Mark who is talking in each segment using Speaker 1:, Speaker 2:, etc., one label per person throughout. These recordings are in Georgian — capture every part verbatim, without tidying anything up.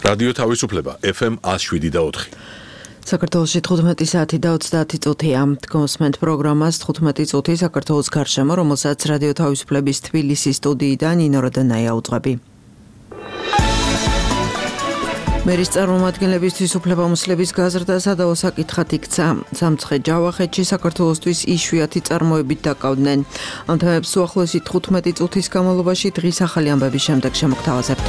Speaker 1: რადიო თავისუფლება ეფ ემ one oh seven და four.
Speaker 2: საქართველოში თხუთმეტი საათი და ოცდაათი წუთია. გოსმენთ პროგრამას თხუთმეტი წუთი საქართველოს გარშემო, რომელსაც რადიო თავისუფლების თბილისის სტუდიიდან ნინო როდანაია უძღვები. მერის წარმომადგენლებისთვის უფლებამოსილების გაზრდა სადავო საკითხად იქცა. სამცხე ჯავახეთში საქართველოსთვის იშვიათი წარმოებით დაკავდნენ. ამ თემებს უახლოესი თხუთმეტი წუთის განმავლობაში დღის ახალი ამბების შემდეგ შემოგთავაზებთ.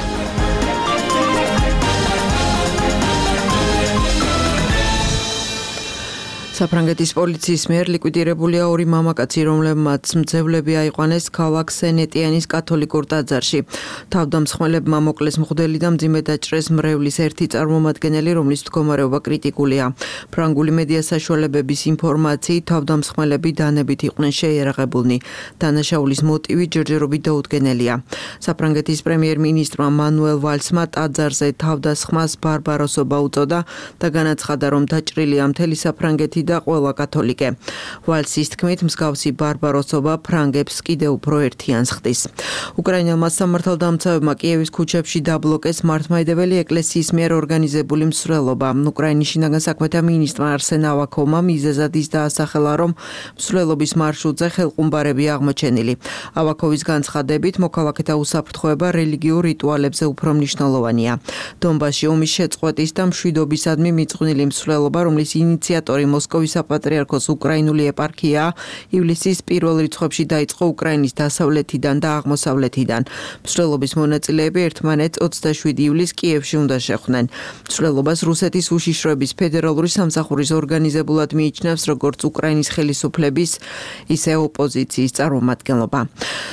Speaker 2: საფრანგეთის პოლიციის მიერ ლიკვიდირებულია ორი მამაკაცი, რომლებმაც მძევლები აიყვანეს ქალაქ სენ-ეტიანის კათოლიკურ ტაძარში. თავდამსხმელებმა მოკლეს მღვდელი და მძიმე დაჭრეს მრევლის ერთი წარმომადგენელი, რომლის მდგომარეობა კრიტიკულია. ფრანგული მედია საშუალებების ინფორმაციით, თავდამსხმელები დანებით იყვნენ შეიარაღებულნი. დანაშაულის მოტივი ჯერჯერობით დაუდგენელია. საფრანგეთის პრემიერ-მინისტრმა მანუელ ვალსმა ტაძარზე თავდასხმას ბარბაროსობა უწოდა და განაცხადა, რომ დაჭრილია მთელი საფრანგეთი და ყველა კათოლიკე. ვალსის თქმით, მსგავსი ბარბაროსობა ფრანგებს კიდევ უფრო ერთიანს ხდის. უკრაინელმა სამართალდამცავებმა კიევის ქუჩებში დაბლოკეს მართლმადიდებელი ეკლესიის მიერ ორგანიზებული მსვლელობა. უკრაინის შინაგან საქმეთა მინისტრმა არსენ ავაკოვმა მიზეზად ის დაასახელა, რომ მსვლელობის მარშრუტზე ხელყუმბარები აღმოჩენილი. ავაკოვის განცხადებით, მოქალაქეთა უსაფრთხოება რელიგიურ რიტუალებზე უფრო მნიშვნელოვანია. დონბასში ომის შეწყვეტის და მშვიდობისადმი მიწყვნილი მსვლელობა, რომლის ინიციატორი მოსკოვის საპატრიარქოს უკრაინული ეპარქია ივლისის პირველ რიცხვებში დაიწყო უკრაინის დასავლეთიდან და აღმოსავლეთიდან. მსვლელობის მონაწილეები ერთმანეთს ოცდაშვიდი ივლისს კიევში უნდა შეხვდნენ. მსვლელობას რუსეთის უშიშროების ფედერალური სამსახურის ორგანიზებულად მიიჩნევს როგორც უკრაინის ხელისუფლების, ისე ოპოზიციის წარმომადგენლობა.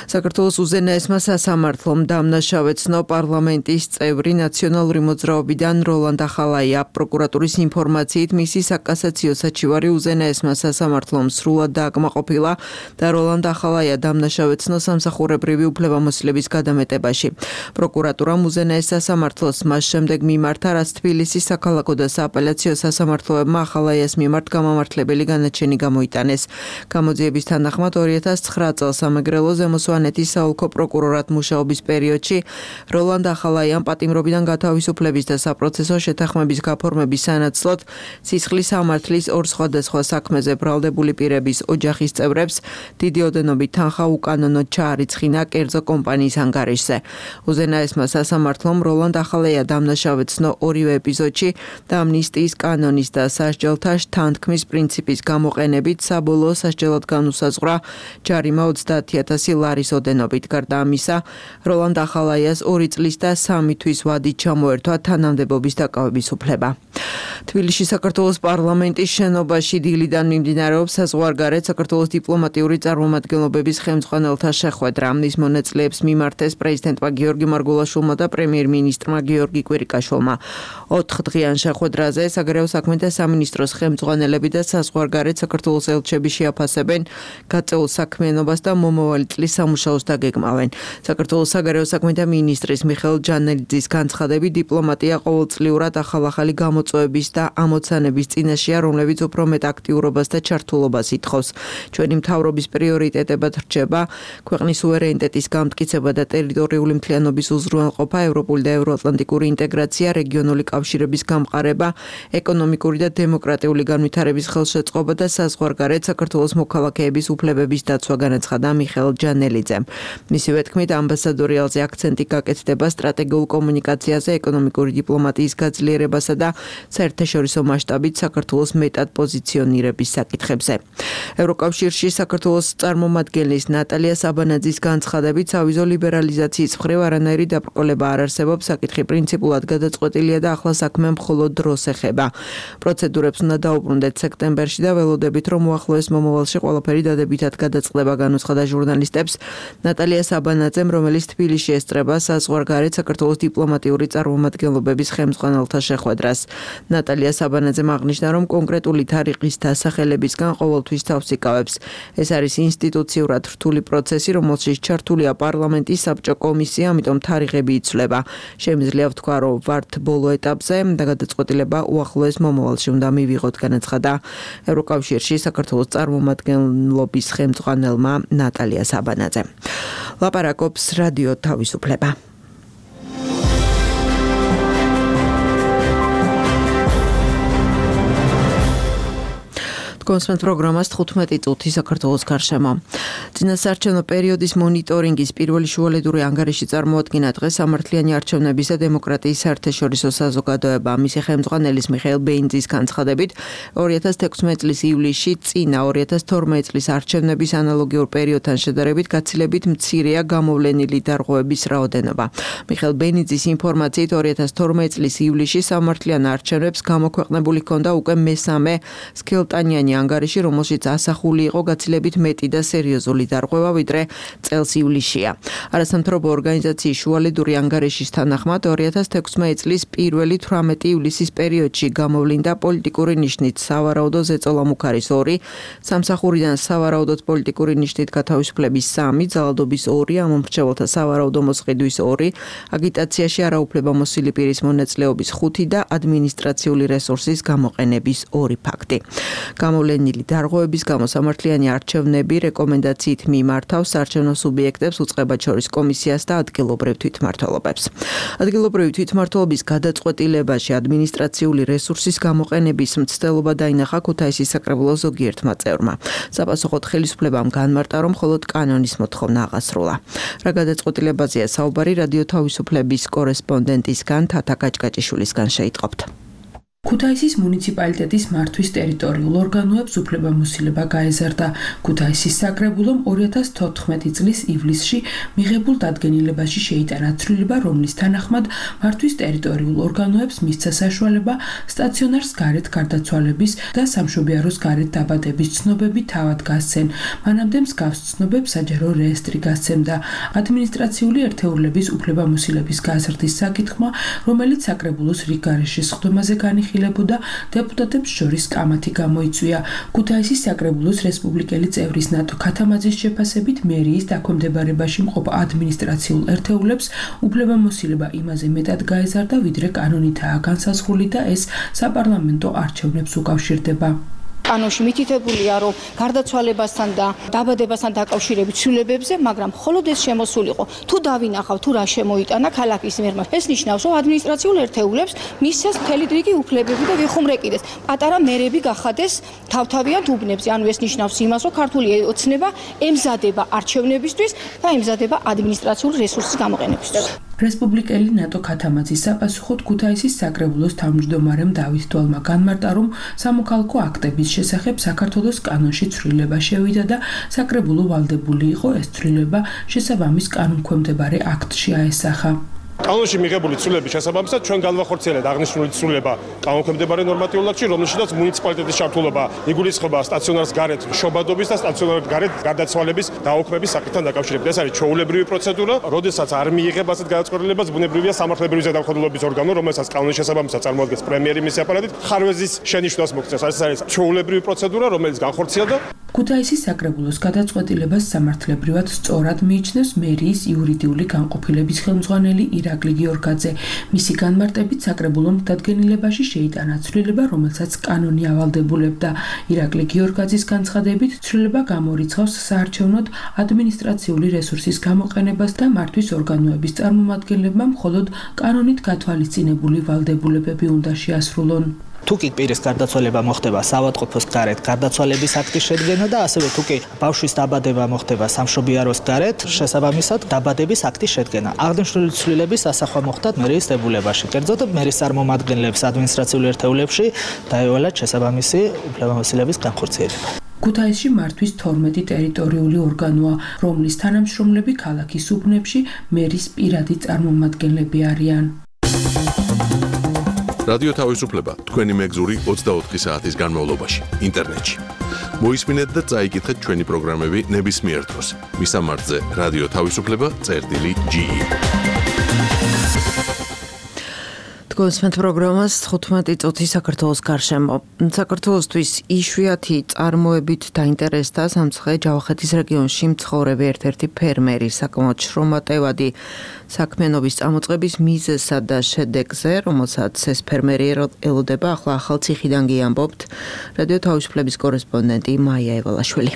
Speaker 2: საქართველოს უზენაესმა სასამართლომ დამნაშავე ცნო პარლამენტის წევრი ნაციონალური მოძრაობიდან როლანდ ახალაია. პროკურატურის ინფორმაციით მისი საკასაციო საჩივარი უზენაესმა სასამართლომ სრულად დააკმაყოფილა და როლანდ ახალაია დამნაშავე ცნო სამსახურებრივი უფლებამოსილების გადამეტებაში. პროკურატურამ უზენაეს სასამართლოს მას შემდეგ მიმართა, რაც თბილისის საქალაქო და სააპელაციო სასამართლოებმა ახალაიას მიმართ გამამართლებელი განაჩენი გამოიტანეს. გამოძიების თანახმად ორი ათას ცხრა წელს სამეგრელო ზემო სვანეთის საოლქო პროკურორად მუშაობის პერიოდში როლანდ ახალაიამ პატიმრობიდან გათავისუფლების და საპროცესო შეთანხმების გაფორმების სანაცვლოდ სისხლის სამართლის ორ სხვადასხვა საქმეზე ბრალდებული პირების ოჯახის წევრებს დიდი ოდენობით თანხა უკანონოდ ჩაარიცხინა კერძო კომპანიის ანგარიშზე. უზენაესმა სასამართლომ როლანდ ახალაია დამნაშავე ცნო ორივე ეპიზოდში და ამნისტიის კანონის და სასჯელთა შთანთქმის პრინციპის გამოყენებით საბოლოო სასჯელად განუსაზღვრა ჯარიმა ოცდაათი ათასი ლარის ოდენობით. გარდა ამისა, როლანდ ახალაიას ორი წლის და სამი თვის ვადით ჩამოერთვა თანამდებობის დაკავების უფლება. თბილისში საქართველოს პარლამენტის შენობაში დილიდან მიმდინარეობს საზღვარგარეთ საქართველოს დიპლომატიური წარმომადგენლობების ხელმძღვანელთა შეხვედრა. ის მონაწილეებს მიმართეს პრეზიდენტმა გიორგი მარგულაშვილმა და პრემიერ-მინისტრმა გიორგი კვირიკაშვილმა. ოთხდღიან შეხვედრაზე საგარეო საქმეთა სამინისტროს ხელმძღვანელები და საზღვარგარეთ საქართველოს ელჩები შეაფასებენ გაწეულ საქმიანობას და მომავალი წლის სამუშაოს დაგეგმავენ. საქართველოს საგარეო საქმეთა მინისტრის მიხეილ ჯანელიძის განცხადებით, დიპლომატია ყოველწლიურად ახალ-ახალი გამოწვევების და ამოცანების წინაშეა, რომლებიც უფრო მეტ აქტიურობას და ჩართულობას ითხოვს. ჩვენი მთავრობის პრიორიტეტებად რჩება ქვეყნის სუვერენიტეტის გამტკიცება და ტერიტორიული მთლიანობის უზრუნველყოფა, ევროპული და ევროატლანტიკური ინტეგრაცია, რეგიონული კავშირების გამყარება, ეკონომიკური და დემოკრატიული განვითარების ხელშეწყობა და საზღვარგარეთ საქართველოს მოქალაქეების უფლებების დაცვა, განაცხადა მიხეილ ჯანელიძემ. მისივე თქმით, ამბასადორიალზე აქცენტი გაკეთდება სტრატეგიულ კომუნიკაციაზე, ეკონომიკური დიპლომატიის გაძლიერებასა და საერთაშორისო მასშტაბით საქართველოს მეტად პოზიციონირების საკითხებზე. ევროკავშირში საქართველოს წარმომადგენლის ნატალია საბანაძის განცხადებით, სავიზო ლიბერალიზაციის მხრივ არანაირი დაბრკოლება არ არსებობს, საკითხი პრინციპულად გადაწყვეტილია და ახლა საქმე მხოლოდ დროს ეხება. პროცედურებს უნდა დაუბრუნდეთ სექტემბერში და ველოდებით, რომ უახლოეს მომავალში ყველაფერი დადებითად გადაწყდება, განუცხადა ჟურნალისტებს ნატალია საბანაძემ, რომელიც თბილისში ესწრება საზღვარგარეთ საქართველოს დიპლომატიური წარმომადგენლობების ხელმძღვანელთა შეხვედრას. ნატალია საბანაძემ აღნიშნა, რომ კონკრეტული თარიღის დასახელებისგან ყოველთვის თავს იკავებს. ეს არის ინსტიტუციურად რთული პროცესი, რომელშიც ჩართულია პარლამენტის საბჭო კომისია, ამიტომ თარიღები იცვლება. შემიძლია ვთქვა, რომ ვართ ბოლო ეტაპზე და გადაწყვეტილება უახლოეს მომავალში უნდა მივიღოთ, განაცხადა ევროკავშირში საქართველოს წარმომადგენლობის ხელმძღვანელმა ნატალია საბანაძემ. ლაპარაკობს რადიო თავისუფლება. კონსპენთ პროგრამას თხუთმეტი წუთი საქართველოს გარშემო. წინასაარჩევნო პერიოდის მონიტორინგის პირველი შუალედური ანგარიში წარმოადგინა დღეს სამართლიანი არჩევნების და დემოკრატიის საერთაშორისო საზოგადოება. მისი ხელმძღვანელის მიხეილ ბეინძის განცხადებით, ორი ათას თექვსმეტი წლის ივლისში წინა ორი ათას თორმეტი წლის არჩევნების ანალოგიურ პერიოდთან შედარებით გაცილებით მცირეა გამოვლენილი დარღვევების რაოდენობა. მიხეილ ბეინძის ინფორმაციით ორი ათას თორმეტი წლის ივლისში სამართლიან არჩევნებს გამოქვეყნებული ჰქონდა უკვე მესამე სქელტანიანი ანგარიში, რომელშიც ასახული იყო გაცილებით მეტი და სერიოზული დარღვევა, ვიდრე წელს ივლისშია. არასამთავრობო ორგანიზაციის შუალედური ანგარიშის თანახმად ორი ათას თექვსმეტი წლის პირველი თვრამეტი ივლისის პერიოდში გამოვლინდა პოლიტიკური ნიშნით სავარაუდო ზეწოლა მუქარის ორი, სამსახურიდან სავარაუდოდ პოლიტიკური ნიშნით გათავისუფლების სამი, ძალადობის ორი, ამომრჩეველთა სავარაუდო მოსყიდვის ორი, აგიტაციაში არაუფლებამოსილი პირის მონაწილეობის ხუთი და ადმინისტრაციული რესურსის გამოყენების ორი ფაქტი. გამოვლენილი დარღვევების გამო სამართლიანი არჩევნები რეკომენდაციით მიმართავს საარჩევნო სუბიექტებს, უწყებად შორის კომისიას და ადგილობრივ თვითმმართველობებს. ადგილობრივი თვითმმართველობის გადაწყვეტილებაში ადმინისტრაციული რესურსის გამოყენების მცდელობა დაინახა ქუთაისის საკრებულოს ზოგიერთმა წევრმა. საპასუხოდ ხელისუფლებამ განმარტა, რომ მხოლოდ კანონის მოთხოვნა აღასრულა. რა გადაწყვეტილებაზეა საუბარი რადიო თავისუფლების კორესპონდენტისგან თათა კაჭკაჭიშვილისგან შეიტყობთ.
Speaker 3: ქუთაისის მუნიციპალიტეტის მართვის ტერიტორიულ ორგანოებს უფლებამოსილება გაეზარდა. ქუთაისის საკრებულომ ორი ათას თოთხმეტი წლის ივლისში მიღებულ დადგენილებაში შეიტანა ცვლილება, რომლის თანახმად მართვის ტერიტორიულ ორგანოებს მისცა საშუალება სტაციონარს გარეთ გარდაცვალების და სამშობიაროს გარეთ დაბადების ცნობები თავად გასცენ. მანამდე მსგავს ცნობებს საჯარო რეესტრი გასცემდა. ადმინისტრაციული ერთეულების უფლებამოსილების გაზრდის საკითხმა, რომელიც საკრებულოს რიგგარეშე სხდომაზე განიხილება და დეპუტატებს შორის კამათი გამოიწვია. ქუთაისის საკრებულოს რესპუბლიკელი წევრის ნატო ქათამაძის შეფასებით მერიის დაქვემდებარებაში მყოფ ადმინისტრაციულ ერთეულებს უფლებამოსილება იმაზე მეტად გაეზარდა, ვიდრე კანონითაა განსაზღვრული და ეს საპარლამენტო არჩევნებს უკავშირდება.
Speaker 4: კანონში მითითებულია, რომ გარდაცვალებასთან და დაბადებასთან დაკავშირებით ცვლილებებზე, მაგრამ მხოლოდ ეს შემოსულიყო. თუ დავინახავ, თუ რა შემოიტანა ქალაქის მერმა, ეს ნიშნავს, რომ ადმინისტრაციულ ერთეულებს მისცეს მთელი რიგი უფლებები და ვიხუმრეკიდეს. პატარა მერები გახადეს თავთავიანთ უბნებზე. ანუ ეს ნიშნავს იმას, რომ ქართული ოცნება ემზადება არჩევნებისთვის და ემზადება ადმინისტრაციული რესურსის გამოყენებისთვის.
Speaker 3: რესპუბლიკელი ნატო ქათამაძის საპასუხოდ ქუთაისის საკრებულოს თავმჯდომარემ დავით დვალმა განმარტა, რომ სამოქალაქო აქტების შესახებ საქართველოს კანონში ცვლილება შევიდა და საკრებულო ვალდებული იყო ეს ცვლილება შესაბამის კანონქვემდებარე აქტში აესახა.
Speaker 5: კანონში მიღებული ცვლილების შესაბამისად ჩვენ განვახორციელებთ აღნიშნული ცვლილება კანონქვემდებარე ნორმატიულ აქტში, რომელშიც მუნიციპალიტეტის ჩართულობა იგულისხმება სტაციონარს გარეთ შობადობის და სტაციონარს გარეთ გარდაცვალების დაუქმების საკითხთან დაკავშირებით. ეს არის ჩვეულებრივი პროცედურა, როდესაც არ მიიღება ასეთ გადაწყვეტილებას, ბუნებრივია სამართლებრივი ზედამხედველობის ორგანო, რომელსაც კანონის შესაბამისად წარმოადგენს პრემიერი მისი აპარატით, ხარვეზის შენიშვნას მოგწევს. ეს არის ჩვეულებრივი პროცედურა, რომელიც განხორციელდა.
Speaker 3: ქუთაისის საკრებულოს გადაწყვეტილებას სამართლებრივად სწორად მიიჩნევს მერიის იურიდიული განყოფილების ხელმძღვანელი ირაკლი გიორგაძე. მისი განმარტებით საკრებულომ დადგენილებაში შეიტანა ცვლილება, რომელსაც კანონი ავალდებულებდა. ირაკლი გიორგაძის განცხადებით, ცვლილება გამორიცხავს საარჩევნოდ ადმინისტრაციული რესურსის გამოყენებას და მართვის ორგანოების წარმომადგენლებმა მხოლოდ კანონით გათვალისწინებული ვალდებულებები უნდა შეასრულონ.
Speaker 6: თუ კი პირის გარდაცვალება მოხდება საავადმყოფოს გარეთ გარდაცვალების აქტის შედგენა და ასევე თუ კი ბავშვის დაბადება მოხდება სამშობიაროს გარეთ შესაბამისად დაბადების აქტის შედგენა. აღნიშნული ცვლილების ასახვა მოხდა მერიის დებულებაში. კერძოდ მერის წარმომადგენლებს ადმინისტრაციულ ერთეულებში დაევალათ შესაბამისი უფლებამოსილების განხორციელება.
Speaker 3: ქუთაისში მართვის თორმეტი ტერიტორიული ორგანოა, რომლის თანამშრომლები ქალაქის უბნებში მერის პირადი წარმომადგენლები არიან.
Speaker 1: რადიო თავისუფლება თქვენი მეგზური ოცდაოთხი საათის განმავლობაში ინტერნეტში. მოისმინეთ და წაიკითხეთ ჩვენი პროგრამები ნებისმიერ დროს. მისამართზე რადიო თავისუფლება წერტილი ჯი.
Speaker 2: კონსპენთ პროგრამას თხუთმეტი წუთი საქართველოს გარშემო. საქართველოსთვის იშვიათი წარმოებით დაინტერესდა სამცხე ჯავახეთის რეგიონში მცხოვრები ერთ-ერთი ფერმერი. საკმაოდ შრომატევადი საქმიანობის წამოწყების მიზეზსა და შედეგზე, რომელსაც ეს ფერმერი ელოდება, ახლა ახალციხიდან გიამბობთ რადიო თავისუფლების კორესპონდენტი მაია ევალაშვილი.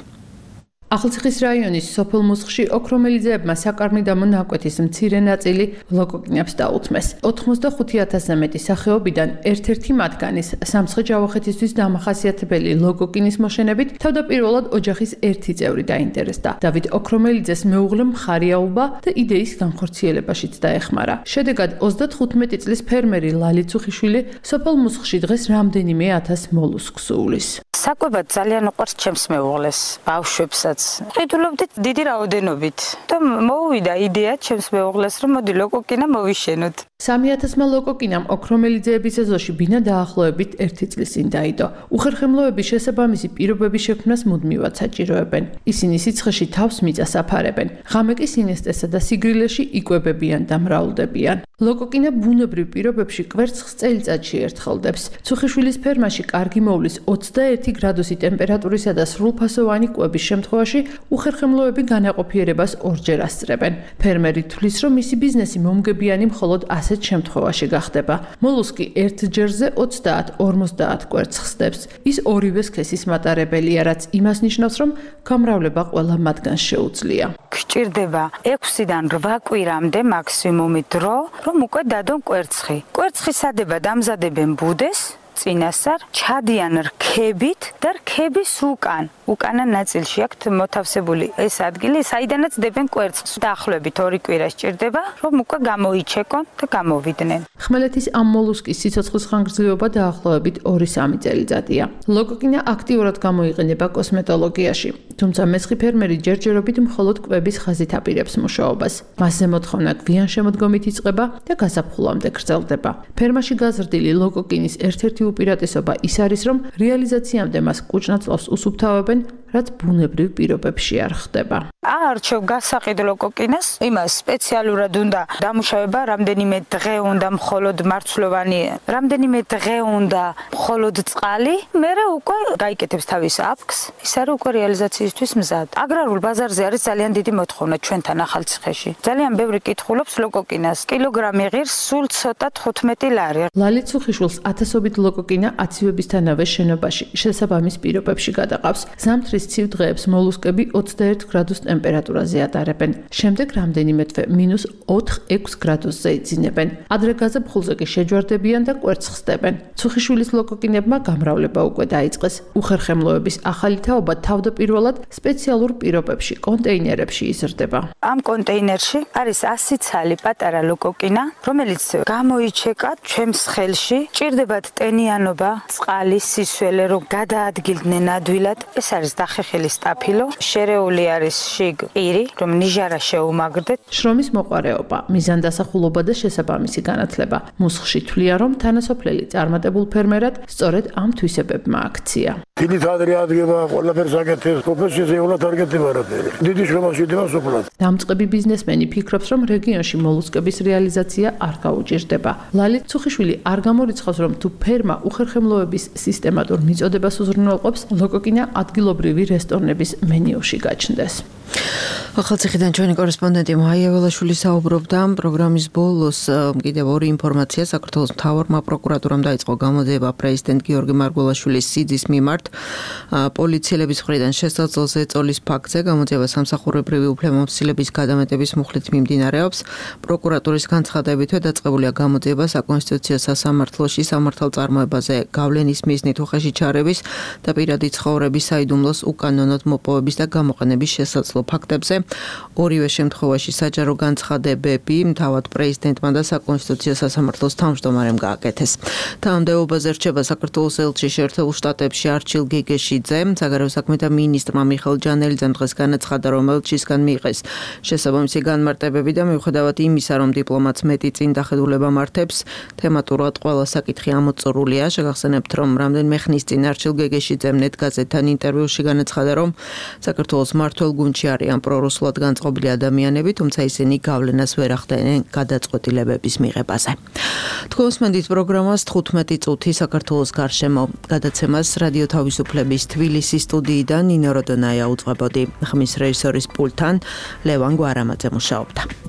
Speaker 3: ახალციხის რაიონის სოფელ მუსხში ოქრომელიძეებმა საკარმიდამო ნაკვეთის მცირე ნაწილი ლოკოკინებს დაუთმეს. ოთხმოცდახუთი ათასზე მეტი სახეობიდან ერთ-ერთი მათგანის სამცხე-ჯავახეთისთვის დამახასიათებელი ლოკოკინის მოშენებით თავდაპირველად ოჯახის ერთი წევრი დაინტერესდა. დავით ოქრომელიძეს მეუღლე მხარიაობა და იდეის განხორციელებაშიც დაეხმარა. შედეგად ოცდათხუთმეტი წლის ფერმერი ლალი ცუხიშვილი სოფელ მუსხში დღეს რამდენიმე ათას მოლუსკს უვლის.
Speaker 7: საკვებად ძალიან უყვარს ჩემს მეუღლეს, ბავშვებსაც. ყიდულობდით დიდი რაოდენობით და მოუვიდა იდეა ჩემს მეუღლეს, რომ მოდი ლოკოკინა მოვიშენოთ.
Speaker 3: სამი ათასმა ლოკოკინამ ოქრომელიძეების ეზოში ბინა დაახლოებით ერთი წლის წინ დაიდო. უხერხემლოების შესაბამისი პირობების შექმნას მუდმივად საჭიროებენ. ისინი სიცხეში თავს მიწას აფარებენ. ღამე კი სინესტესა და სიგრილეში იკვებებიან და მრავლდებიან. ლოკოკინა ბუნებრივ პირობებში კვერცხს წელიწადში ერთხელდებს. ცუხიშვილის ფერმაში კარგი მოვლის ოცდაერთი გრადუსი ტემპერატურისა და სრულფასოვანი კვების შემთხვევაში უხერხემლოები განაყოფიერებას ორჯერ ასწრებენ. ფერმერი თვლის, რომ მისი ბიზნესი მომგებიანი მხოლოდ ასეთ შემთხვევაში გახდება. მოლუსკი ერთ ჯერზე ოცდაათ ორმოცდაათ კვერცხს დებს. ის ორივე სქესის მატარებელია, რაც იმას ნიშნავს, რომ გამრავლება ყველა მათგანს შეუძლია.
Speaker 7: გჭირდება ექვსიდან რვა კვირამდე მაქსიმუმი დრო, რომ უკვე დადონ კვერცხი. კვერცხის სადებად ამზადებენ ბუდეს, წინასწარ ჩადიან რქებით და რქების უკან. უკანა ნაწილში აქვთ მოთავსებული ეს ადგილი, საიდანაც დებენ კვერცხს. დაახლოებით ორი კვირა სჭირდება, რომ უკვე გამოიჩეკონ და გამოვიდნენ.
Speaker 3: ხმელეთის ამ მოლუსკის სიცოცხლის ხანგრძლივობა დაახლოებით ორი სამი წელიწადია. ლოკოკინა აქტიურად გამოიყენება კოსმეტოლოგიაში, თუმცა მესხი ფერმერი ჯერჯერობით მხოლოდ კვების ხაზით აპირებს მუშაობას. მასზე მოთხოვნა გვიან შემოდგომით იწყება და გასაფხულამდე გრძელდება. ფერმაში გაზრდილი ლოკოკინის ერთ-ერთი უპირატესობა ის არის, რომ რეალიზაციამდე მას კუჭნაწლავს უსუფთავებენ, რაც ბუნებრივ პირობებში არ ხდება.
Speaker 7: აარჩევ გასაყიდ ლოკოკინას, იმას სპეციალურად უნდა დამუშავება, რამდენიმე დღე უნდა მხოლოდ მარცვლოვანი, რამდენიმე დღე უნდა მხოლოდ წყალი, მერე უკვე გაიკეთებს თავის აფქს, ის არის უკვე რეალიზაციისთვის მზად. აგრარულ ბაზარზე არის ძალიან დიდი მოთხოვნა ჩვენთან ახალციხეში. ძალიან ბევრი კითხულობს ლოკოკინას. კილოგრამი ღირს სულ ცოტა თხუთმეტი ლარი.
Speaker 3: ლალი ცუხიშვილს ათასობით ლოკოკინა აციებისთანავე შენობაში შესაბამის პირობებში გადაყავს. ზამთრის ცივ დღეებს მოლუსკები ოცდაერთ გრადუს ტემპერატურაზე ატარებენ. შემდეგ რამდენიმე თვე მინუს ოთხ ექვს გრადუსზე იძინებენ. ადრე გაზაფხულზე კი შეჯვარდებიან და კვერცხს დებენ. ცუხიშვილის ლოკოკინებმა გამრავლება უკვე დაიწყეს. უხერხემლოების ახალი თაობა თავდაპირველად სპეციალურ პირობებში, კონტეინერებში იზრდება.
Speaker 7: ამ კონტეინერში არის ასი ცალი პატარა ლოკოკინა, რომელიც გამოიჩეკა ჩემს ხელში. ჭირდებათ ტენიანობა, წყალი, სისველე, რომ გადაადგილდნენ ადვილად. ეს არის დახეხილი სტაფილო, შერეული არის შიგ პირი, რომ ნიჟარა შეუმაგრდეთ.
Speaker 3: შრომის მოყარეობა, მიზანდასახულობა და შესაბამისი განათლება. მუსხში თვლიან, რომ თანასოფლელი წარმატებულ ფერმერად სწორედ ამ თვისებებმა აქცია.
Speaker 8: დიდი თადრი ადგება, ყველაფერს აკეთებს, პროფესიაზე ეულად არ გეთება არაფერი. დიდი შრომაში იდება სოფლად.
Speaker 3: დამწყები ბიზნესმენი ფიქრობს, რომ რეგიონში მოლუსკების რეალიზაცია არ გაუჭირდება. ლალი ცუხიშვილი არ გამორიცხავს, რომ თუ ფერმა უხერხემლოების სისტემატურ მიწოდებას უზრუნველყოფს, ლოკოკინა ადგილობრივი რესტორნების მენიუში გაჩნდეს.
Speaker 2: ახალციხიდან ჩვენი კორესპონდენტი მაია ველაშვილი საუბრობდა. პროგრამის ბოლოს კიდევ ორი ინფორმაცია. საქართველოს მთავარმა პროკურატურამ დაიწყო გამოძიება პრეზიდენტ გიორგი მარგველაშვილის სიძის მიმართ. პოლიციელების მხრიდან შესაძლოა ეწოლის ფაქტზე გამოძიება სამსახურებრივი უფლებამოსილების გადამეტების მუხლით მიმდინარეობს. პროკურატურის განცხადებითვე დაწყებულია გამოძიება საკონსტიტუციო სასამართლოში სამართალწარმოებაზე გავლენის მიზნით უხეში ჩარევის და პირადი ცხოვრების საიდუმლოს უკანონოდ მოპოვების და გამოყენების შესაძლო ფაქტებზე. ორივე შემთხვევაში საჯარო განცხადებები თავად პრეზიდენტმა და საკონსტიტუციო სასამართლოს თავმჯდომარემ გააკეთეს. თანამდებობაზე რჩება საქართველოს ელჩი შეერთებულ შტატებში არჩილ გეგეშიძე. საგარეო საქმეთა მინისტრმა მიხეილ ჯანელიძემ დღეს განაცხადა, რომ ელჩისგან მიიღეს შესაბამისი განმარტებები და მიუხედავად იმისა, რომ დიპლომატს მეტი წინ დახედულება მართებს, თემატურად ყველა საკითხი ამოწურულია. შეგახსენებთ, რომ რამდენიმე ხნის წინ არჩილ გეგეშიძემ ნეტ გაზეთთან ინტერვიუში განაცხადა, რომ საქართველოს მმართველ გუნდში არიან პრორუსულად განწყობილი ადამიანები, თუმცა ისინი გავლენას ვერ ახდენენ გადაწყვეტილებების მიღებაზე. თქვენს მენდით პროგრამას თხუთმეტი წუთი საქართველოს გარშემო გადაცემას რადიო თავისუფლების თბილისის სტუდიიდან ნინო როდონაია უძღვებოდი. ხმის რეჟისორის პულტთან ლევან გვარამაძე მუშაობდა.